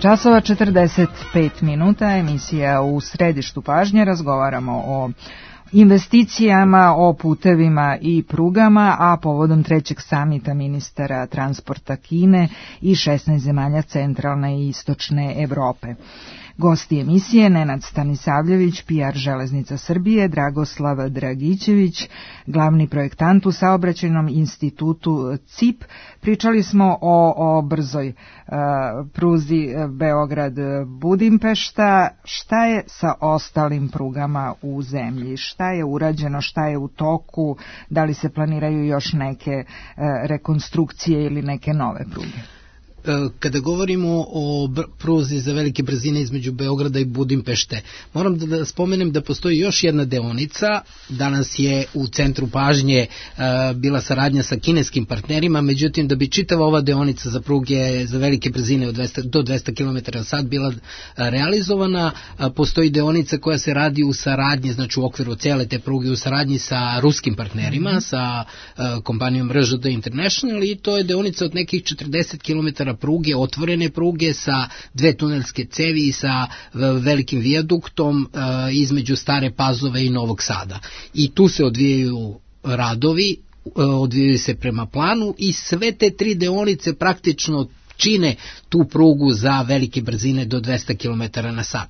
časova 45 minuta, emisija U središtu pažnje, razgovaramo o investicijama, o putevima i prugama, a povodom trećeg samita ministara transporta Kine i 16 zemalja centralne i istočne Evrope. Gosti emisije Nenad Stanisavljević, PR Železnica Srbije, Dragoslav Dragićević, glavni projektant u saobraćajnom institutu CIP. Pričali smo o brzoj pruzi Beograd-Budimpešta. Šta je sa ostalim prugama u zemlji? Šta je urađeno, šta je u toku? Da li se planiraju još neke rekonstrukcije ili neke nove pruge? Kada govorimo o pruzi za velike brzine između Beograda i Budimpešte, moram da spomenem da postoji još jedna deonica. Danas je u centru pažnje bila saradnja sa kineskim partnerima, međutim da bi čitava ova deonica za pruge za velike brzine do 200 km/h bila realizovana, postoji deonica koja se radi u saradnji, znači u okviru cele te pruge u saradnji sa ruskim partnerima, sa kompanijom RŽD International, i to je deonica od nekih 40 km pruge, otvorene pruge sa 2 tunelske cevi i sa velikim vijaduktom između Stare Pazove i Novog Sada. I tu se odvijaju radovi, odvijaju se prema planu i sve te 3 deonice praktično čine tu prugu za velike brzine do 200 km/h.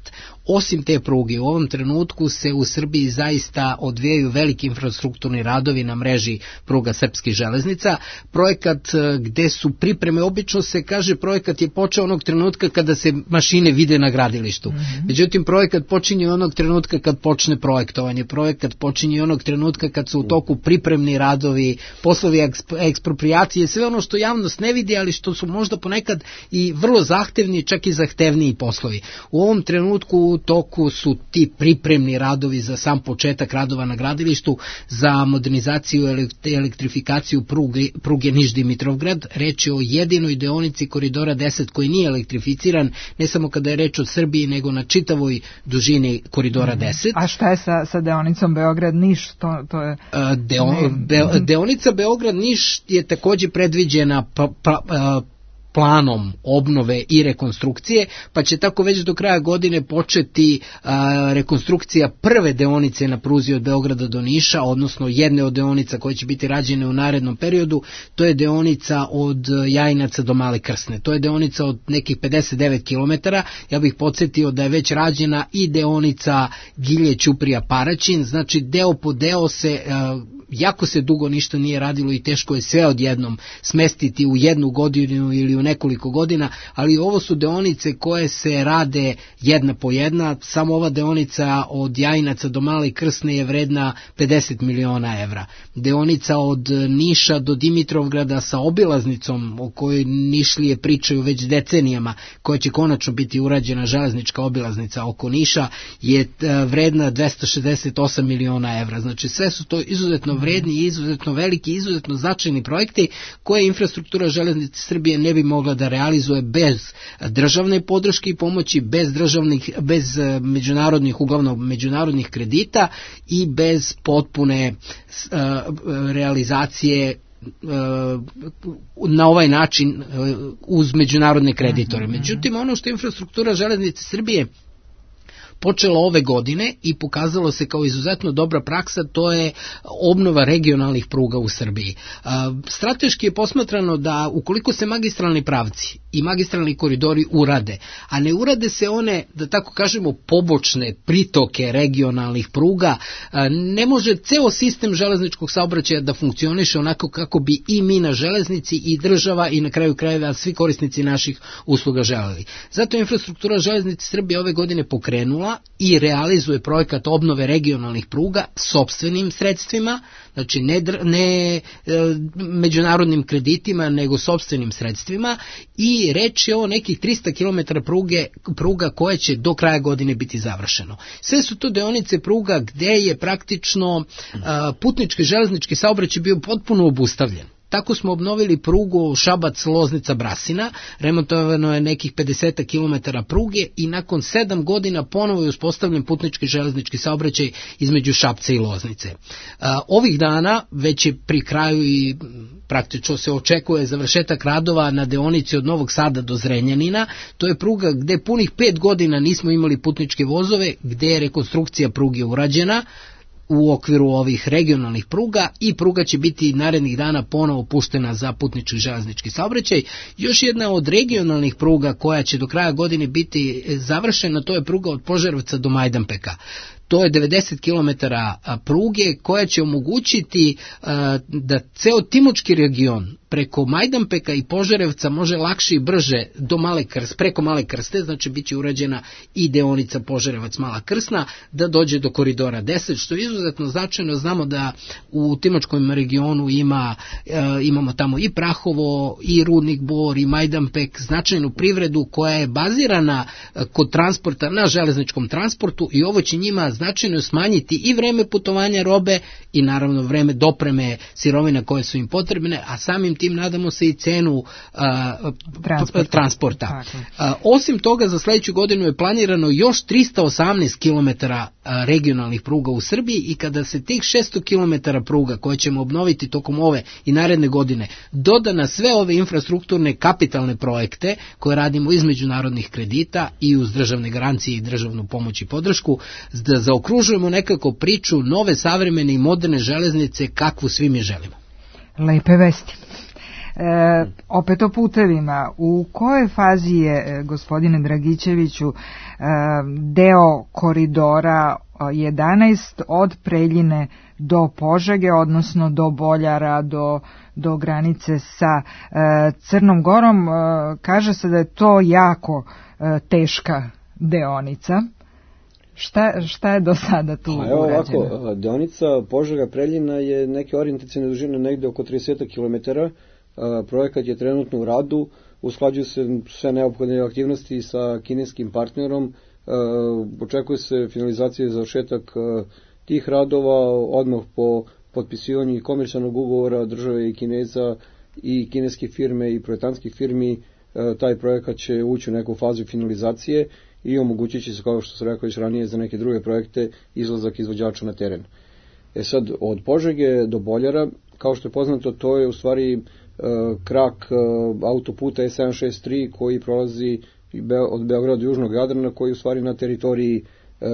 Osim te pruge, u ovom trenutku se u Srbiji zaista odvijaju veliki infrastrukturni radovi na mreži pruga srpskih železnica. Projekat gde su pripreme, obično se kaže projekat je počeo onog trenutka kada se mašine vide na gradilištu. Međutim, projekat počinje onog trenutka kad počne projektovanje. Projekat počinje onog trenutka kad su u toku pripremni radovi, poslovi ekspropriacije, sve ono što javnost ne vidi, ali što su možda ponekad i vrlo zahtevni, čak i zahtevniji poslovi. U ovom trenutku u toku su ti pripremni radovi za sam početak radova na gradilištu, za modernizaciju i elektrifikaciju pruge Niš-Dimitrovgrad. Reč je o jedinoj deonici koridora 10 koji nije elektrificiran, ne samo kada je reč o Srbiji, nego na čitavoj dužini koridora 10. A šta je sa deonicom Beograd-Niš? To je... Deonica Beograd-Niš je također predviđena planom obnove i rekonstrukcije, pa će tako već do kraja godine početi rekonstrukcija prve deonice na pruzi od Beograda do Niša, odnosno jedne od deonica koje će biti rađene u narednom periodu. To je deonica od Jajinaca do Male Krsne. To je deonica od nekih 59 km. Ja bih podsjetio da je već rađena i deonica Gilje-Ćuprija-Paraćin, znači deo po deo se jako se dugo ništa nije radilo i teško je sve odjednom smestiti u jednu godinu ili u nekoliko godina, ali ovo su deonice koje se rade jedna po jedna. Samo ova deonica od Jajinaca do Male Krsne je vredna 50 miliona evra. Deonica od Niša do Dimitrovgrada sa obilaznicom o kojoj Nišlije pričaju već decenijama, koja će konačno biti urađena, železnička obilaznica oko Niša, je vredna 268 miliona evra. Znači sve su to izuzetno vredni, izuzetno veliki, izuzetno značajni projekti koje infrastruktura Železnice Srbije ne bi mogla da realizuje bez državne podrške i pomoći, bez međunarodnih, uglavnom međunarodnih kredita i bez potpune realizacije na ovaj način uz međunarodne kreditore. Međutim, ono što je infrastruktura železnice Srbije počelo ove godine i pokazalo se kao izuzetno dobra praksa, to je obnova regionalnih pruga u Srbiji. Strateški je posmatrano da ukoliko se magistralni pravci i magistralni koridori urade, a ne urade se one, da tako kažemo, pobočne pritoke regionalnih pruga, ne može ceo sistem železničkog saobraćaja da funkcioniše onako kako bi i mi na železnici i država i na kraju krajeva svi korisnici naših usluga želeli. Zato je infrastruktura železnice Srbije ove godine pokrenula i realizuje projekat obnove regionalnih pruga sopstvenim sredstvima, znači ne međunarodnim kreditima, nego sopstvenim sredstvima, i reč je o nekih 300 km pruga koje će do kraja godine biti završeno. Sve su to deonice pruga gde je praktično putnički železnički saobraćaj bio potpuno obustavljen. Tako smo obnovili prugu Šabac-Loznica-Brasina, remontovano je nekih 50 km pruge i nakon 7 godina ponovo je uspostavljen putnički železnički saobraćaj između Šapca i Loznice. Ovih dana već je pri kraju i praktično se očekuje završetak radova na deonici od Novog Sada do Zrenjanina. To je pruga gde punih 5 godina nismo imali putničke vozove, gde je rekonstrukcija pruge urađena u okviru ovih regionalnih pruga i pruga će biti narednih dana ponovo puštena za putnički železnički saobraćaj. Još jedna od regionalnih pruga koja će do kraja godine biti završena, to je pruga od Požarevca do Majdanpeka. To je 90 km pruge koja će omogućiti da ceo Timočki region preko Majdanpeka i Požarevca može lakše i brže do preko Male Krste, znači bit će urađena i deonica Požarevac-Mala Krsna, da dođe do koridora 10, što je izuzetno značajno. Znamo da u Timočkom regionu imamo tamo i Prahovo, i Rudnik Bor, i Majdanpek, značajnu privredu koja je bazirana kod transporta na železničkom transportu, i ovo će njima značajno smanjiti i vreme putovanja robe i naravno vreme dopreme sirovina koje su im potrebne, a samim tim nadamo se i cenu transporta. Osim toga, za sledeću godinu je planirano još 318 km regionalnih pruga u Srbiji, i kada se tih 600 km pruga koje ćemo obnoviti tokom ove i naredne godine doda na sve ove infrastrukturne kapitalne projekte koje radimo iz međunarodnih kredita i uz državne garancije i državnu pomoć i podršku, da zaokružujemo nekako priču nove, savremene i moderne železnice kakvu svi mi želimo. Lepe vesti. Opet o putevima. U kojoj fazi je, gospodine Dragićeviću, deo koridora 11 od Preljine do Požege, odnosno do Boljara, do granice sa Crnom Gorom? Kaže se da je to jako teška deonica. Šta je do sada tu urađeno? Evo ovako, deonica Požega-Preljina je neke orijentacione dužine negde oko 30 km. Projekat je trenutno u radu, usklađuju se sve neophodne aktivnosti sa kineskim partnerom, očekuje se finalizacija i završetak tih radova odmah po potpisivanju komercijalnog ugovora države i Kineza i kineske firme i projektantskih firmi. Taj projekat će ući u neku fazu finalizacije i omogućit će se, kao što sam rekao već ranije, za neke druge projekte izlazak izvođača na teren. Sad, od Požege do Boljara, kao što je poznato, to je u stvari krak autoputa E763 koji prolazi od Beograda do Južnog Jadrana, koji je u stvari na teritoriji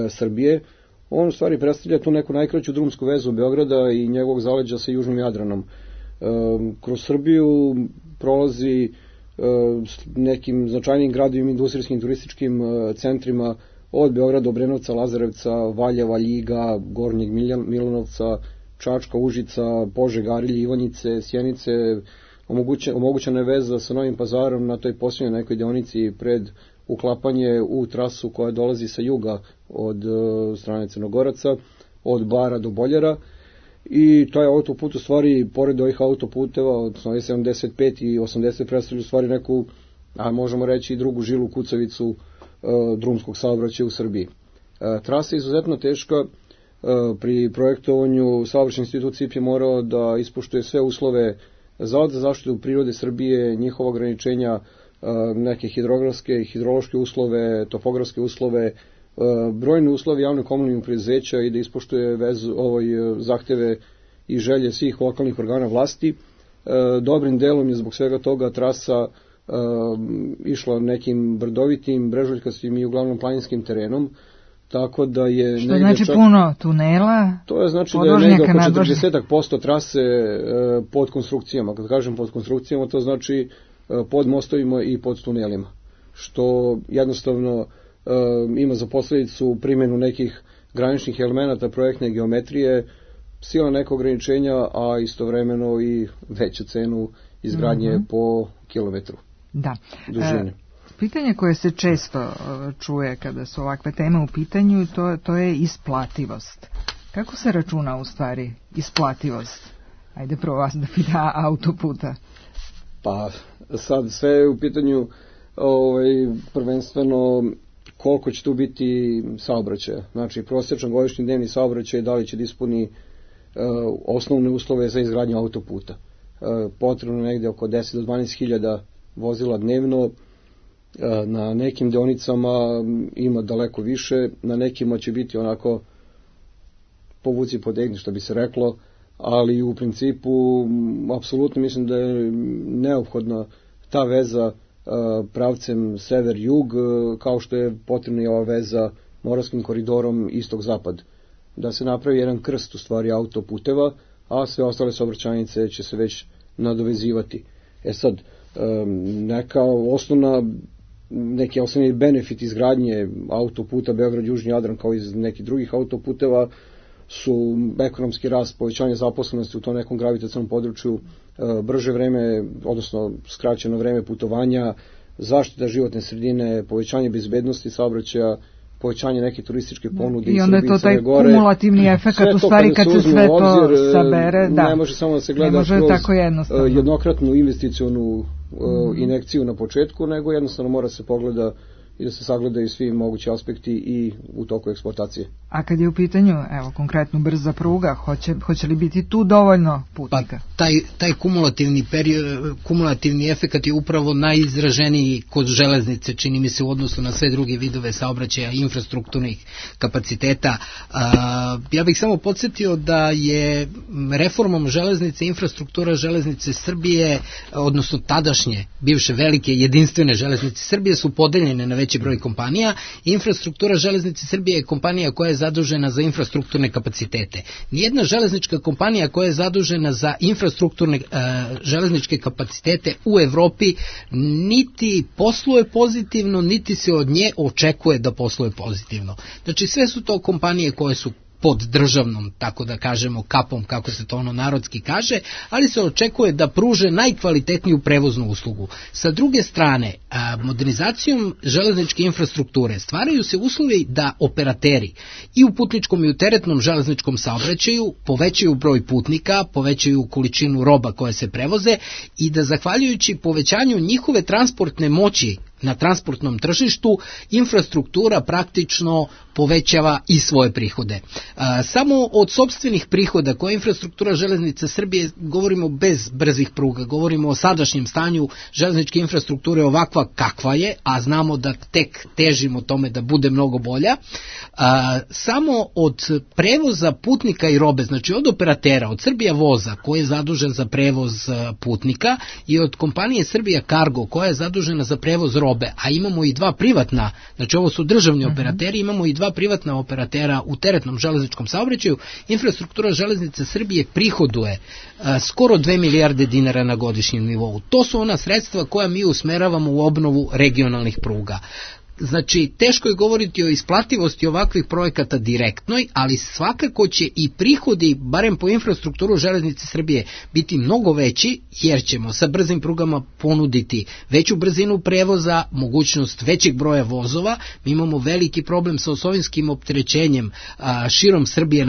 Srbije. On u stvari predstavlja tu neku najkraću drumsku vezu Beograda i njegovog zaleđa sa Južnim Jadranom. Kroz Srbiju prolazi nekim značajnim gradovima, industrijskim, turističkim centrima od Beograda, Obrenovca, Lazarevca, Valjeva, Ljiga, Gornjeg Milanovca, Čačka, Užica, Požega, Arilje, Ivanjice, Sjenice. Omogućena je veza sa Novim Pazarom na toj posljednjoj nekoj deonici pred uklapanje u trasu koja dolazi sa juga od strane Crnogoraca, od Bara do Boljara. I taj autoput u stvari, pored ovih autoputeva, odnosno 75 i 80, predstavlja u stvari neku, a možemo reći i drugu žilu kucavicu drumskog saobraćaja u Srbiji. Trasa je izuzetno teška. Pri projektovanju saobraćajni institut CIP je morao da ispoštuje sve uslove Zavod za zaštitu prirode Srbije, njihova ograničenja, neke hidrografske, hidrološke uslove, topografske uslove, brojne uslove javnog komunalnog preduzeća i da ispoštuje zahteve i želje svih lokalnih organa vlasti. dobrim delom je zbog svega toga trasa išla nekim brdovitim, brežuljkastim i uglavnom planinskim terenom, tako da je... Što znači puno tunela? To je znači da je negdje oko 40% trase pod konstrukcijama. Kad kažem pod konstrukcijama, to znači pod mostovima i pod tunelima, što jednostavno ima za posljedicu primjenu nekih graničnih elemenata projektne geometrije, sila neka ograničenja, a istovremeno i veću cenu izgradnje po kilometru. Da. Dužine. Pitanje koje se često čuje kada su ovakve teme u pitanju, to je isplativost. Kako se računa u stvari isplativost? Ajde prvo vas da pita autoputa. Pa sad sve je u pitanju prvenstveno koliko će tu biti saobraćaja. Znači prosječan godišnji dnevni saobraćaj, da li će da ispuni osnovne uslove za izgradnju autoputa. Potrebno negdje oko 10 do 12 hiljada vozila dnevno, na nekim deonicama ima daleko više, na nekima će biti onako povuci podegni, što bi se reklo, ali u principu apsolutno mislim da je neophodna ta veza pravcem sever-jug, kao što je potrebna i ova veza Moravskim koridorom istok-zapad. Da se napravi jedan krst u stvari autoputeva, a sve ostale saobraćajnice će se već nadovezivati. Sad, neki osnovni benefit izgradnje autoputa Beograd-Južni Jadran kao iz nekih drugih autoputeva su ekonomski rast, povećanje zaposlenosti u tom nekom gravitacionalnom području, brže vreme, odnosno skraćeno vreme putovanja, zaštita životne sredine, povećanje bezbednosti saobraćaja, povećanje neke turističke ponude i onda je to taj kumulativni efekat u stvari kad se sve to sabere, ne može samo da se gleda kroz jednokratnu investicionu injekciju na početku, nego jednostavno mora se pogleda i da se sagledaju svi mogući aspekti i u toku eksploatacije. A kad je u pitanju, evo, konkretno brza pruga, hoće li biti tu dovoljno putnika? Pa, taj kumulativni efekat je upravo najizraženiji kod železnice, čini mi se, u odnosu na sve druge vidove saobraćaja i infrastrukturnih kapaciteta. Ja bih samo podsjetio da je reformom železnice, infrastruktura železnice Srbije, odnosno tadašnje, bivše velike jedinstvene železnice Srbije su podeljene na veći broj kompanija. Infrastruktura železnice Srbije je kompanija koja je zadužena za infrastrukturne kapacitete. Nijedna železnička kompanija koja je zadužena za infrastrukturne železničke kapacitete u Evropi niti posluje pozitivno, niti se od nje očekuje da posluje pozitivno. Znači sve su to kompanije koje su pod državnom, tako da kažemo, kapom, kako se to narodski kaže, ali se očekuje da pruže najkvalitetniju prevoznu uslugu. Sa druge strane, modernizacijom železničke infrastrukture stvaraju se uslovi da operateri i u putničkom i u teretnom železničkom saobraćaju povećaju broj putnika, povećaju količinu roba koje se prevoze i da zahvaljujući povećanju njihove transportne moći na transportnom tržištu, infrastruktura praktično povećava i svoje prihode. Samo od sopstvenih prihoda koje infrastruktura železnice Srbije, govorimo bez brzih pruga, govorimo o sadašnjem stanju železničke infrastrukture ovakva kakva je, a znamo da tek težimo tome da bude mnogo bolja. Samo od prevoza putnika i robe, znači od operatera, od Srbija voza koji je zadužen za prevoz putnika i od kompanije Srbija Cargo koja je zadužena za prevoz robe, a imamo i dva privatna, znači ovo su državni operateri, imamo i dva privatna operatera u teretnom železničkom saobraćaju, infrastruktura železnice Srbije prihoduje skoro 2 milijarde dinara na godišnjem nivou. To su ona sredstva koja mi usmeravamo u obnovu regionalnih pruga. Znači, teško je govoriti o isplativosti ovakvih projekata direktnoj, ali svakako će i prihodi, barem po infrastrukturu železnice Srbije, biti mnogo veći, jer ćemo sa brzim prugama ponuditi veću brzinu prevoza, mogućnost većeg broja vozova. Mi imamo veliki problem sa osovinskim opterećenjem širom Srbije,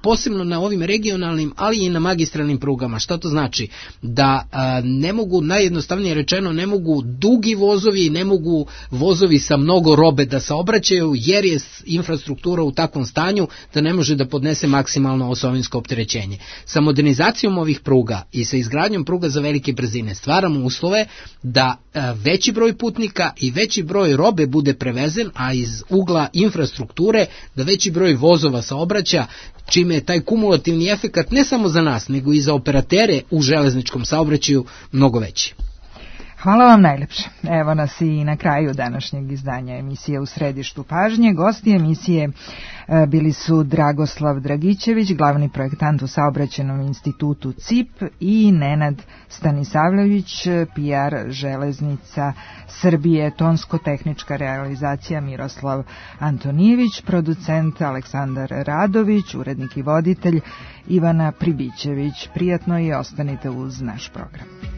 posebno na ovim regionalnim, ali i na magistralnim prugama. Šta to znači? Da ne mogu, najjednostavnije rečeno, ne mogu dugi vozovi, ne mogu vozovi sa mnogo robe da saobraćaju, jer je infrastruktura u takvom stanju da ne može da podnese maksimalno osovinsko opterećenje. Sa modernizacijom ovih pruga i sa izgradnjom pruga za velike brzine stvaramo uslove da veći broj putnika i veći broj robe bude prevezen, a iz ugla infrastrukture da veći broj vozova saobraća, čime je taj kumulativni efekat ne samo za nas, nego i za operatere u železničkom saobraćaju mnogo veći. Hvala vam najlepše. Evo nas i na kraju današnjeg izdanja emisije U središtu pažnje. Gosti emisije bili su Dragoslav Dragićević, glavni projektant u Saobraćajnom institutu CIP, i Nenad Stanisavljević, PR Železnica Srbije, tonsko-tehnička realizacija Miroslav Antonijević, producent Aleksandar Radović, urednik i voditelj Ivana Pribićević. Prijatno i ostanite uz naš program.